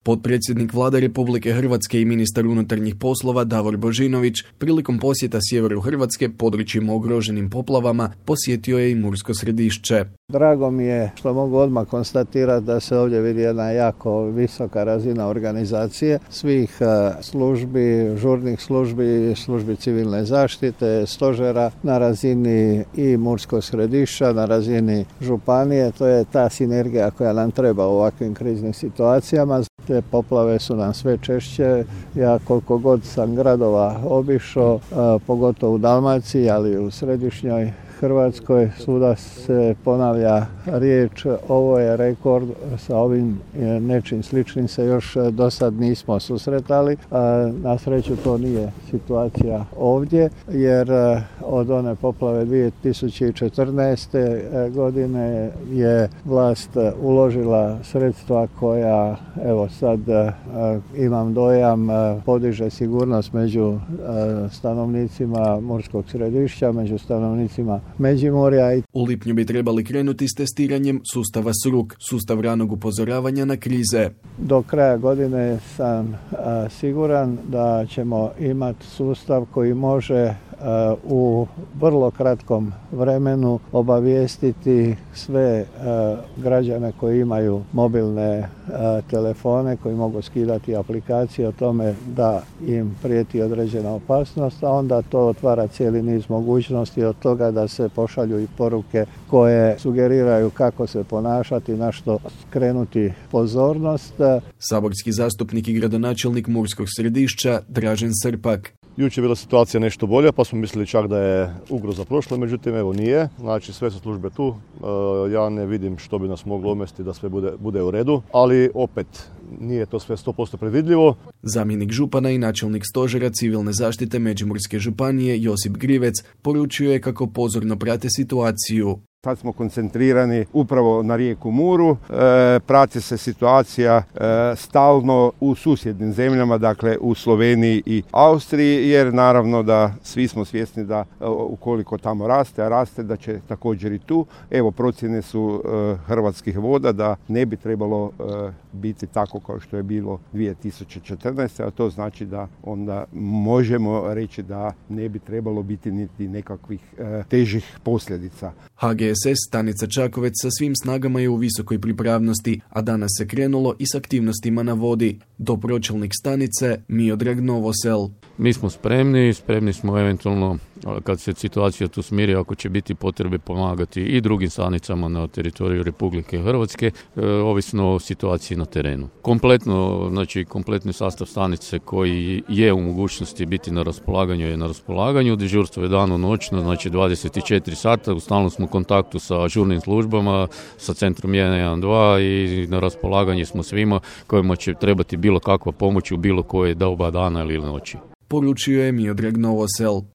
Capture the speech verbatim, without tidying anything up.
Potpredsjednik Vlade Republike Hrvatske i ministar unutarnjih poslova Davor Božinović prilikom posjeta sjeveru Hrvatske područjima ugroženim poplavama posjetio je i Mursko Središće. Drago mi je što mogu odmah konstatirati da se ovdje vidi jedna jako visoka razina organizacije svih službi, žurnih službi, službi civilne zaštite, stožera na razini i Murskog Središća, na razini županije. To je ta sinergija koja nam treba u ovakvim kriznim situacijama. Te poplave su nam sve češće. Ja koliko god sam gradova obišao, pogotovo u Dalmaciji, ali i u središnjoj Hrvatskoj, svuda se ponavlja riječ, ovo je rekord, sa ovim nečim sličnim se još do sad nismo susretali. Na sreću to nije situacija ovdje, jer od one poplave dvije tisuće četrnaeste. godine je vlast uložila sredstva koja, evo sad imam dojam, podiže sigurnost među stanovnicima Murskog Središća, među stanovnicima Međimurja. U lipnju bi trebali krenuti s testiranjem sustava S R U K, sustav ranog upozoravanja na krize. Do kraja godine sam a, siguran da ćemo imati sustav koji može a, u vrlo kratkom vremenu obavijestiti sve a, građane koji imaju mobilne a, telefone, koji mogu skidati aplikacije o tome da im prijeti određena opasnost, a onda to otvara cijeli niz mogućnosti od toga da se pošalju i poruke koje sugeriraju kako se ponašati, na što skrenuti pozornost. Saborski zastupnik i gradonačelnik Murskog Središća Dražen Srpak. Jučer je bila situacija nešto bolja, pa smo mislili čak da je ugroza prošla, međutim evo nije. Znači sve su službe tu, ja ne vidim što bi nas moglo omesti da sve bude, bude u redu, ali opet nije to sve sto posto predvidljivo. Zamjenik župana i načelnik stožera civilne zaštite Međimurske županije Josip Grivec poručio je kako pozorno prate situaciju. Sad smo koncentrirani upravo na rijeku Muru, e, prati se situacija e, stalno u susjednim zemljama, dakle u Sloveniji i Austriji, jer naravno da svi smo svjesni da e, ukoliko tamo raste, a raste da će također i tu. Evo procjene su e, Hrvatskih voda da ne bi trebalo e, biti tako kao što je bilo dvije tisuće četrnaeste. a to znači da onda možemo reći da ne bi trebalo biti niti nekakvih e, težih posljedica. H G S S stanica Čakovec sa svim snagama je u visokoj pripravnosti, a danas se krenulo i s aktivnostima na vodi. Dopročelnik stanice Miodrag Novosel. Mi smo spremni, spremni smo eventualno kad se situacija tu smiri, ako će biti potrebe pomagati i drugim stanicama na teritoriju Republike Hrvatske, e, ovisno o situaciji na terenu. Kompletno, znači kompletni sastav stanice koji je u mogućnosti biti na raspolaganju je na raspolaganju. Dežurstvo je dano noćno, znači dvadeset četiri sata, u stalnom smo kontaktu sa žurnim službama, sa centrom jedan jedan dva i na raspolaganju smo svima kojima će trebati bilo kakva pomoć u bilo koje doba dana ili noći. Poručio je Miodrag Novosel.